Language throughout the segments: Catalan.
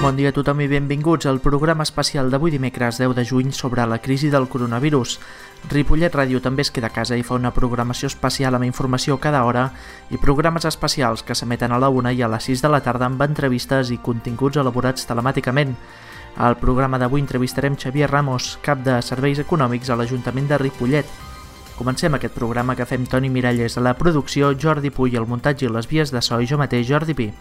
Bon dia a tothom i benvinguts al programa especial d'avui dimecres 10 de juny sobre la crisi del coronavirus. Ripollet Ràdio també es queda a casa i fa una programació especial amb informació cada hora i programes especials que s'emeten a la 1 i a les 6 de la tarda amb entrevistes i continguts elaborats telemàticament. Al programa d'avui entrevistarem Xavier Ramos, cap de Serveis Econòmics a l'Ajuntament de Ripollet. Comencem aquest programa que fem Toni Miralles a la producció, Jordi Puy al muntatge i les vies de so i jo mateix, Jordi Pi.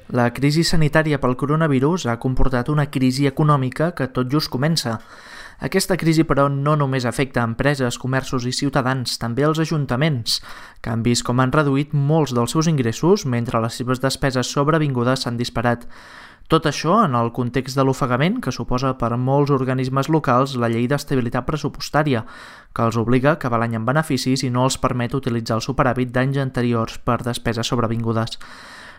La crisi sanitària pel coronavirus ha comportat una crisi econòmica que tot just comença. Aquesta crisi, però, no només afecta empreses, comerços i ciutadans, també els ajuntaments, que han vist com han reduït molts dels seus ingressos mentre les seves despeses sobrevingudes s'han disparat. Tot això en el context de l'ofegament que suposa per molts organismes locals la llei d'estabilitat pressupostària, que els obliga a acabar l'any amb beneficis i no els permet utilitzar el superàvit d'anys anteriors per despeses sobrevingudes.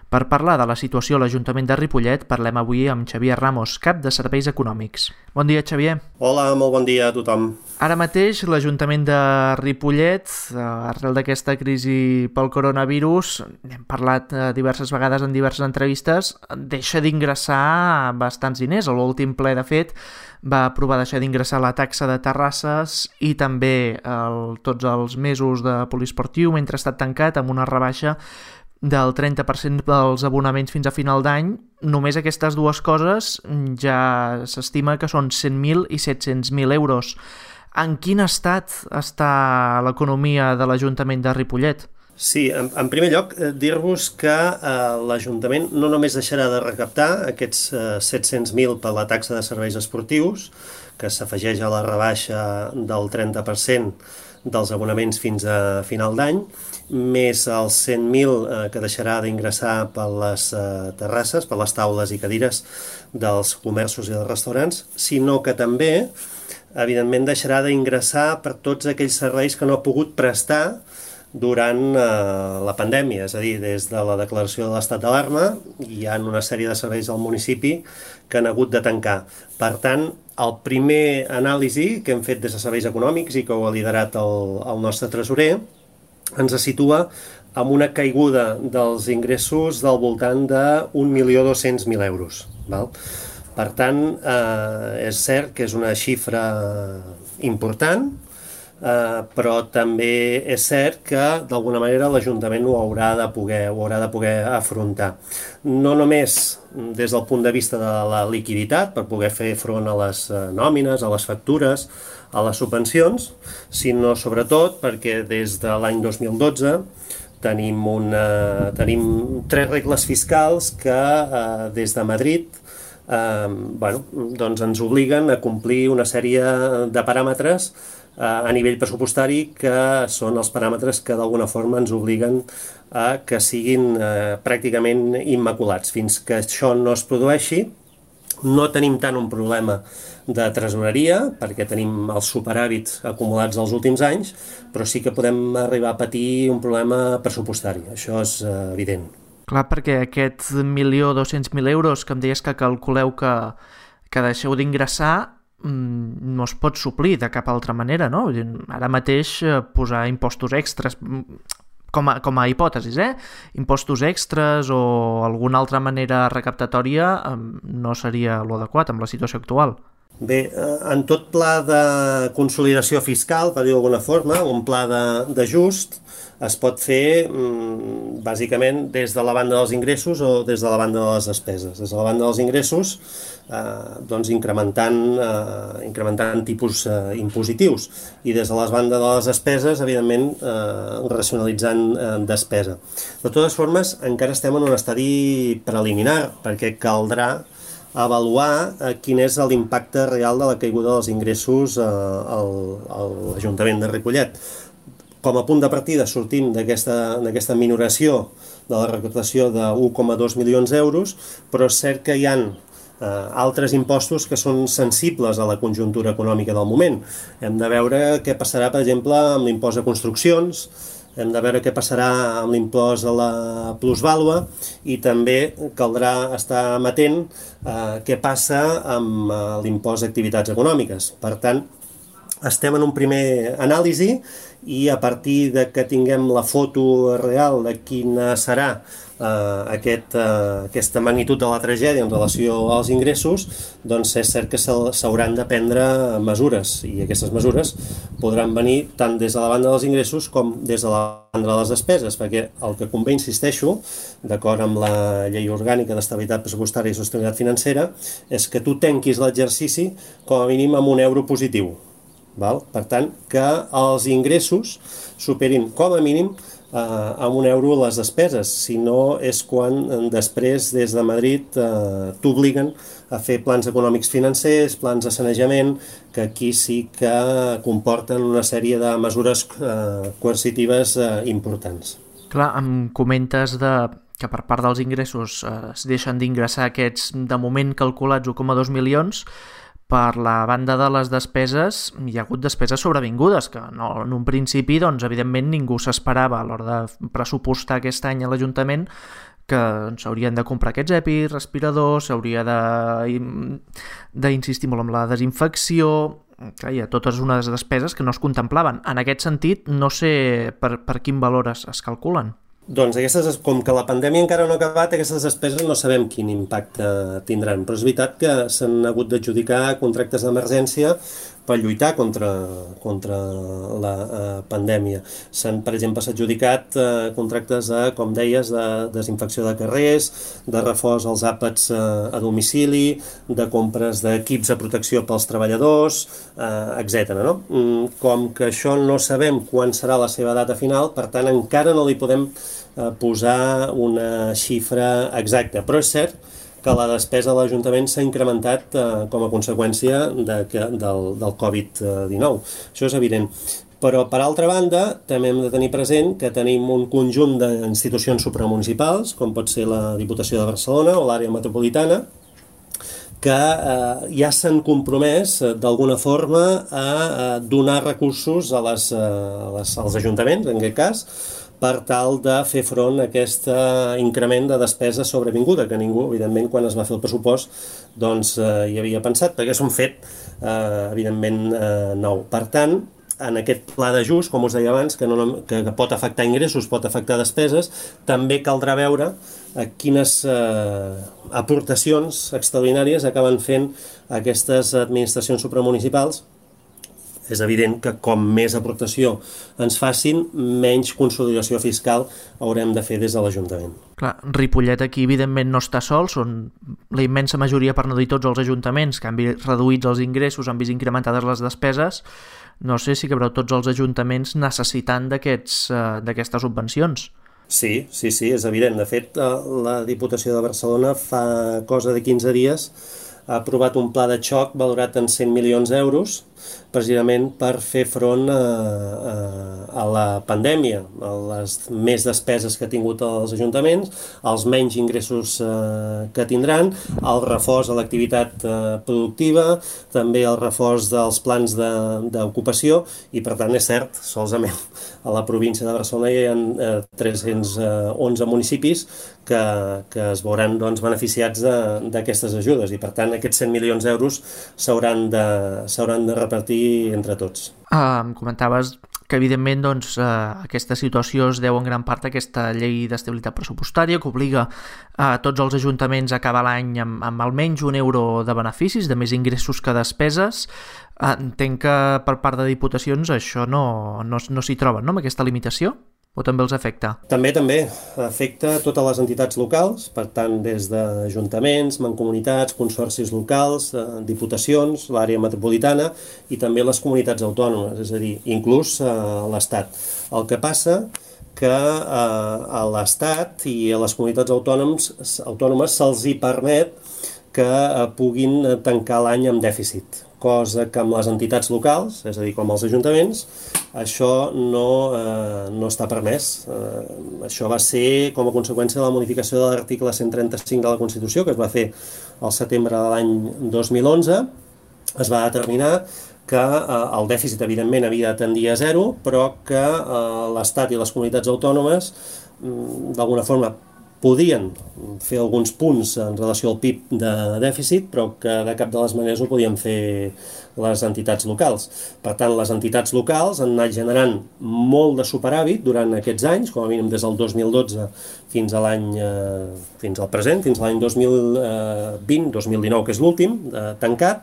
Per parlar de la situació a l'Ajuntament de Ripollet, parlem avui amb Xavier Ramos, cap de Serveis Econòmics. Bon dia, Xavier. Hola, molt bon dia a tothom. Ara mateix, l'Ajuntament de Ripollet, arrel d'aquesta crisi pel coronavirus, n'hem parlat diverses vegades en diverses entrevistes, deixa d'ingressar bastants diners. A l'últim ple, de fet, va aprovar deixar d'ingressar la taxa de terrasses i també tots els mesos de poliesportiu mentre ha estat tancat amb una rebaixa del 30% dels abonaments fins a final d'any. Només aquestes dues coses ja s'estima que són 100.000 i 700.000 euros. En quin estat està l'economia de l'Ajuntament de Ripollet? Sí, en primer lloc, dir-vos que l'Ajuntament no només deixarà de recaptar aquests 700.000 per la taxa de serveis esportius, que s'afegeix a la rebaixa del 30% dels abonaments fins a final d'any, més els 100.000 que deixarà d'ingressar per les terrasses, per les taules i cadires dels comerços i dels restaurants, sinó que també, evidentment, deixarà d'ingressar per tots aquells serveis que no ha pogut prestar durant la pandèmia, és a dir, des de la declaració de l'estat d'alarma hi ha una sèrie de serveis al municipi que han hagut de tancar. Per tant, el primer anàlisi que hem fet des de Serveis Econòmics i que ho ha liderat el nostre tresorer ens situa amb una caiguda dels ingressos del voltant de 1.200.000 euros. Val? Per tant, és cert que és una xifra important, però també és cert que d'alguna manera l'Ajuntament ho haurà de poder afrontar. No només des del punt de vista de la liquiditat, per poder fer front a les nòmines, a les factures, a les subvencions, sinó sobretot perquè des de l'any 2012 tenim 3 regles fiscals que des de Madrid doncs ens obliguen a complir una sèrie de paràmetres a nivell pressupostari que són els paràmetres que d'alguna forma ens obliguen a que siguin pràcticament immaculats. Fins que això no es produeixi, no tenim tant un problema de tresoreria, perquè tenim els superàvits acumulats els últims anys, però sí que podem arribar a patir un problema pressupostari. Això és evident. Clar, perquè aquest 1.200.000 euros que em deies que calculeu que deixeu d'ingressar no es pot suplir de cap altra manera, no? Ara mateix posar impostos extras, com a hipòtesis, impostos extras o alguna altra manera recaptatòria no seria l'adequat amb la situació actual. Bé, en tot pla de consolidació fiscal, per dir-ho d'alguna forma, un pla d'ajust, es pot fer bàsicament des de la banda dels ingressos o des de la banda de les despeses. Des de la banda dels ingressos, doncs incrementant tipus impositius, i des de la banda de les despeses, evidentment, racionalitzant despesa. De totes formes, encara estem en un estadi preliminar, perquè caldrà avaluar quin és l'impacte real de la caiguda dels ingressos a l'Ajuntament de Ripollet. Com a punt de partida sortim d'aquesta minoració de la recaptació de 1,2 milions d'euros, però és cert que hi ha altres impostos que són sensibles a la conjuntura econòmica del moment. Hem de veure què passarà, per exemple, amb l'impost de construccions, hem de veure què passarà amb l'impost a la plusvàlua i també caldrà estar amatent què passa amb l'impost d'activitats econòmiques. Per tant, estem en un primer anàlisi i a partir de que tinguem la foto real de quina serà aquesta magnitud de la tragèdia en relació als ingressos, doncs és cert que s'hauran de prendre mesures, i aquestes mesures podran venir tant des de la banda dels ingressos com des de la banda de les despeses, perquè el que convé, insisteixo, d'acord amb la Llei Orgànica d'Estabilitat Pressupostària i Sostenibilitat Financera, és que tu tanquis l'exercici com a mínim amb €1 positiu. Val? Per tant, que els ingressos superin com a mínim amb €1 les despeses, si no és quan després des de Madrid t'obliguen a fer plans econòmics financers, plans de sanejament, que aquí sí que comporten una sèrie de mesures coercitives importants. Clar, em comentes que per part dels ingressos es deixen d'ingressar aquests, de moment calculats 1,2 milions. Per la banda de les despeses, hi ha hagut despeses sobrevingudes, que no, en un principi, doncs, evidentment, ningú s'esperava a l'hora de pressupostar aquest any a l'Ajuntament que s'haurien de comprar aquests EPIs, respiradors, s'hauria d'insistir molt en la desinfecció. Clar, hi ha totes unes despeses que no es contemplaven. En aquest sentit, no sé per quin valor es calculen. Doncs com que la pandèmia encara no ha acabat, aquestes despeses no sabem quin impacte tindran, però és veritat que s'han hagut d'adjudicar contractes d'emergència per lluitar contra la pandèmia. Per exemple, s'ha adjudicat contractes com deies, de desinfecció de carrers, de reforç als àpats a domicili, de compres d'equips de protecció pels treballadors, etc. No? Com que això no sabem quan serà la seva data final, per tant encara no li podem posar una xifra exacta, però és cert que la despesa de l'Ajuntament s'ha incrementat com a conseqüència del Covid-19. Això és evident. Però, per altra banda, també hem de tenir present que tenim un conjunt d'institucions supramunicipals, com pot ser la Diputació de Barcelona o l'àrea metropolitana, que ja s'han compromès d'alguna forma a donar recursos als ajuntaments, en aquest cas, per tal de fer front a aquest increment de despesa sobrevinguda, que ningú, evidentment, quan es va fer el pressupost, doncs hi havia pensat, perquè és un fet, evidentment, nou. Per tant, en aquest pla d'ajust, com us deia abans, que pot afectar ingressos, pot afectar despeses, també caldrà veure quines aportacions extraordinàries acaben fent aquestes administracions supramunicipals. És evident que com més aportació ens facin, menys consolidació fiscal haurem de fer des de l'Ajuntament. Clar, Ripollet aquí evidentment no està sol, són la immensa majoria, per no dir tots els ajuntaments, que han vist reduïts els ingressos, han vist incrementades les despeses. No sé si veureu tots els ajuntaments necessitant d'aquestes subvencions. Sí, és evident. De fet, la Diputació de Barcelona fa cosa de 15 dies ha aprovat un pla de xoc valorat en 100 milions d'euros precisament per fer front a la pandèmia, a les més despeses que ha tingut els ajuntaments, als menys ingressos que tindran, el reforç a l'activitat productiva, també el reforç dels plans d'ocupació i, per tant, és cert, solament a la província de Barcelona hi ha 311 municipis que es veuran beneficiats d'aquestes ajudes i, per tant, aquests 100 milions d'euros s'hauran de repartir entre tots. Em comentaves que, evidentment, aquesta situació es deu en gran part a aquesta llei d'estabilitat pressupostària que obliga a tots els ajuntaments a acabar l'any amb almenys €1 de beneficis, de més ingressos que despeses. Entenc que per part de diputacions això no s'hi troben, no?, amb aquesta limitació? O també els afecta? També afecta totes les entitats locals, per tant, des d'ajuntaments, mancomunitats, consorcis locals, diputacions, l'àrea metropolitana i també les comunitats autònomes, és a dir, inclús l'Estat. El que passa que a l'Estat i a les comunitats autònomes se'ls hi permet que puguin tancar l'any amb dèficit, cosa que amb les entitats locals, és a dir, com els ajuntaments, això no està permès. Això va ser com a conseqüència de la modificació de l'article 135 de la Constitució, que es va fer al setembre de l'any 2011. Es va determinar que el dèficit, evidentment, havia de tendir a zero, però que l'Estat i les comunitats autònomes, d'alguna forma, podien fer alguns punts en relació al PIB de dèficit, però que de cap de les maneres ho podien fer les entitats locals. Per tant, les entitats locals han anat generant molt de superàvit durant aquests anys, com a mínim des del 2012 fins a fins al present, fins a l'any 2020-2019, que és l'últim, tancat.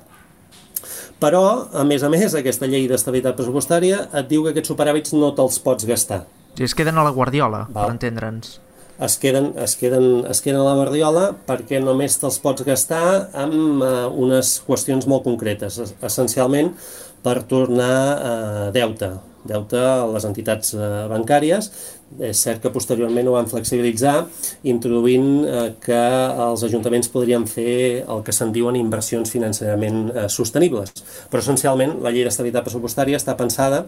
Però, a més, aquesta llei d'estabilitat pressupostària et diu que aquests superàvits no te'ls pots gastar. I es queden a la guardiola, per entendre'ns. Es queden a la guardiola perquè només te'ls pots gastar amb unes qüestions molt concretes, essencialment per tornar deute a les entitats bancàries. És cert que posteriorment ho van flexibilitzar, introduint que els ajuntaments podrien fer el que se'n diuen inversions financerament sostenibles. Però essencialment la llei d'estabilitat pressupostària està pensada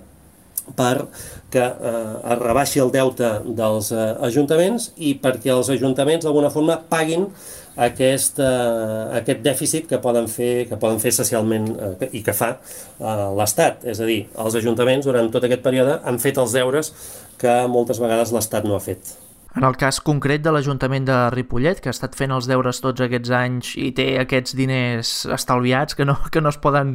perquè es rebaixi el deute dels ajuntaments i perquè els ajuntaments d'alguna forma paguin aquest dèficit que poden fer socialment i que fa l'Estat. És a dir, els ajuntaments durant tot aquest període han fet els deures que moltes vegades l'Estat no ha fet. En el cas concret de l'Ajuntament de Ripollet, que ha estat fent els deures tots aquests anys i té aquests diners estalviats que no es poden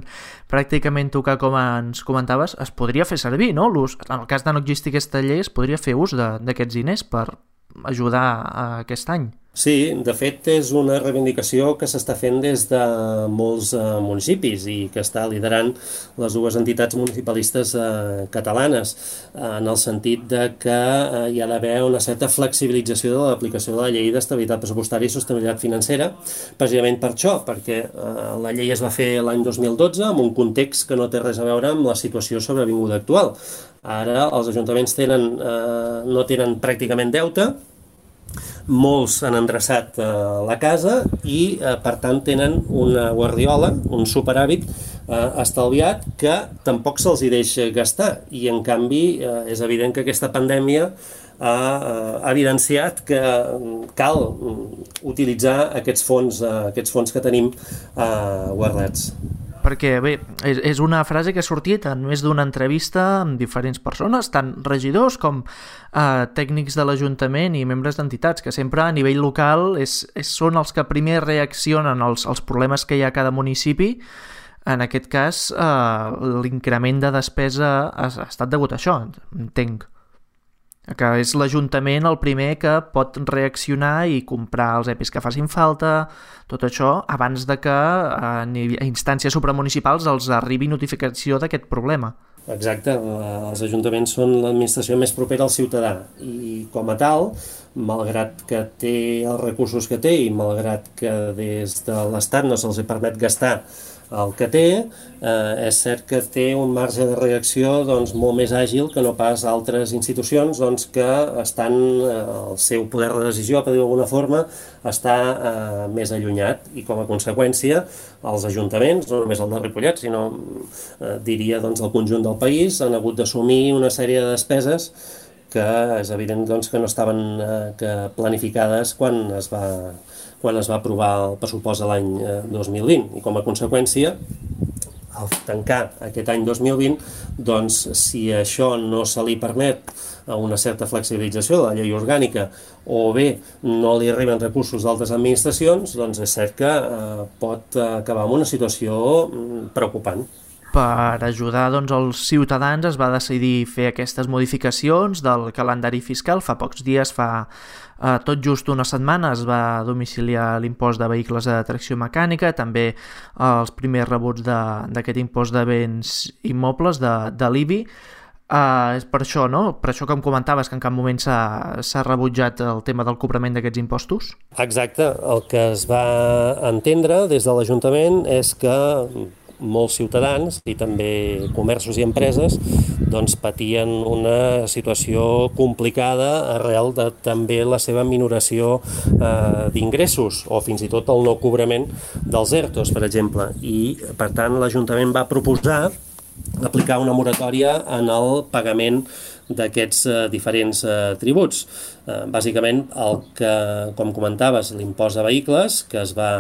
pràcticament tocar, com ens comentaves, es podria fer servir, no? En el cas de no existir aquesta llei, es podria fer ús d'aquests diners per ajudar a aquest any. Sí, de fet és una reivindicació que s'està fent des de molts municipis i que està liderant les dues entitats municipalistes catalanes, en el sentit de que hi ha d'haver una certa flexibilització de l'aplicació de la llei d'estabilitat pressupostària i sostenibilitat financera, precisament per això, perquè la llei es va fer l'any 2012 en un context que no té res a veure amb la situació sobrevinguda actual. Ara els ajuntaments no tenen pràcticament deute, molts han endreçat la casa i per tant tenen una guardiola, un superàvit estalviat que tampoc se'ls hi deixa gastar, i en canvi és evident que aquesta pandèmia ha evidenciat que cal utilitzar aquests fons que tenim guardats. Perquè, bé, és una frase que ha sortit en més d'una entrevista amb diferents persones, tant regidors com tècnics de l'Ajuntament i membres d'entitats, que sempre a nivell local són els que primer reaccionen als problemes que hi ha a cada municipi. En aquest cas, l'increment de despesa ha estat degut a això, entenc. Que és l'Ajuntament el primer que pot reaccionar i comprar els EPIs que facin falta, tot això, abans de que a instàncies supramunicipals els arribi notificació d'aquest problema. Exacte, els ajuntaments són l'administració més propera al ciutadà i com a tal, malgrat que té els recursos que té i malgrat que des de l'Estat no se'ls permet gastar el que té, és cert que té un marge de reacció molt més àgil que no pas altres institucions que estan, el seu poder de decisió, per dir-ho d'alguna forma, està més allunyat, i com a conseqüència els ajuntaments, no només el de Ripollet, sinó diria el conjunt del país, han hagut d'assumir una sèrie de despeses que és evident que no estaven planificades quan es va aprovar el pressupost l'any 2020, i com a conseqüència, al tancar aquest any 2020, si això no se li permet una certa flexibilització de la llei orgànica o bé no li arriben recursos d'altres administracions, és cert que pot acabar en una situació preocupant. Per ajudar els ciutadans es va decidir fer aquestes modificacions del calendari fiscal. Fa pocs dies, fa tot just una setmana, es va domiciliar l'impost de vehicles de tracció mecànica, també els primers rebuts d'aquest impost de béns immobles, de l'IBI. És per això, no? Per això que em comentaves que en cap moment s'ha rebutjat el tema del cobrament d'aquests impostos? Exacte. El que es va entendre des de l'Ajuntament és que molts ciutadans i també comerços i empreses patien una situació complicada arrel de també la seva minoració d'ingressos o fins i tot el no cobrament dels ERTOs, per exemple. I, per tant, l'Ajuntament va proposar aplicar una moratòria en el pagament d'aquests diferents tributs. Bàsicament, com comentaves, l'impost de vehicles, que es va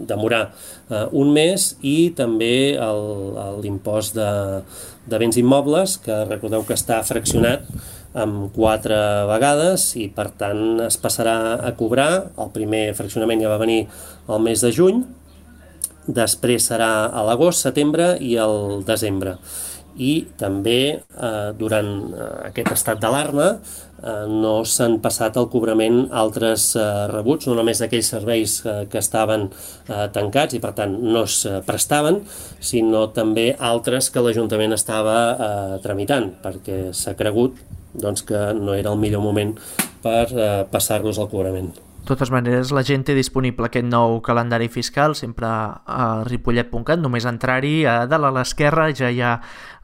demorar un mes, i també l'impost de béns immobles, que recordeu que està fraccionat amb 4 vegades i per tant es passarà a cobrar. El primer fraccionament ja va venir el mes de juny, després serà a l'agost, setembre i el desembre. I també durant aquest estat d'alarma no s'han passat al cobrament altres rebuts, no només d'aquells serveis que estaven tancats i per tant no es prestaven, sinó també altres que l'Ajuntament estava tramitant, perquè s'ha cregut que no era el millor moment per passar-los al cobrament. De totes maneres, la gent té disponible aquest nou calendari fiscal sempre a ripollet.cat, només entrar-hi, a dalt a l'esquerra ja hi ha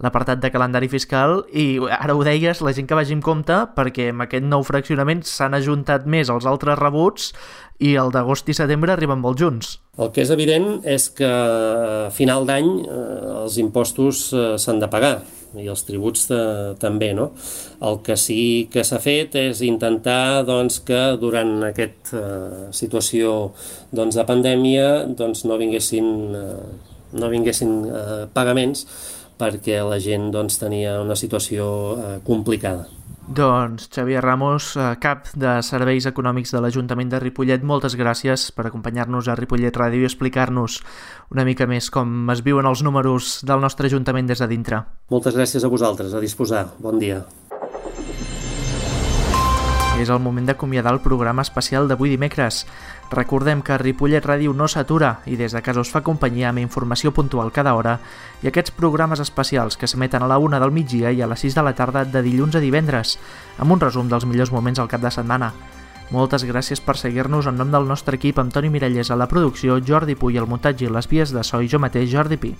l'apartat de calendari fiscal i ara ho deies, la gent que vagi amb compte perquè amb aquest nou fraccionament s'han ajuntat més els altres rebuts i el d'agost i setembre arriben molt junts. El que és evident és que a final d'any els impostos s'han de pagar i els tributs també, no? El que sí que s'ha fet és intentar que durant aquesta situació de pandèmia no vinguessin pagaments perquè la gent tenia una situació complicada. Doncs Xavier Ramos, cap de Serveis Econòmics de l'Ajuntament de Ripollet, moltes gràcies per acompanyar-nos a Ripollet Ràdio i explicar-nos una mica més com es viuen els números del nostre Ajuntament des de dintre. Moltes gràcies a vosaltres, a disposar. Bon dia. És el moment d'acomiadar el programa especial d'avui dimecres. Recordem que Ripollet Ràdio no s'atura i des de casa us fa companyia amb informació puntual cada hora i aquests programes especials que s'emeten a la 1 del migdia i a les 6 de la tarda de dilluns a divendres, amb un resum dels millors moments al cap de setmana. Moltes gràcies per seguir-nos en nom del nostre equip, amb Toni Mirallés a la producció, Jordi Puy al muntatge i les vies de so i jo mateix, Jordi Pi.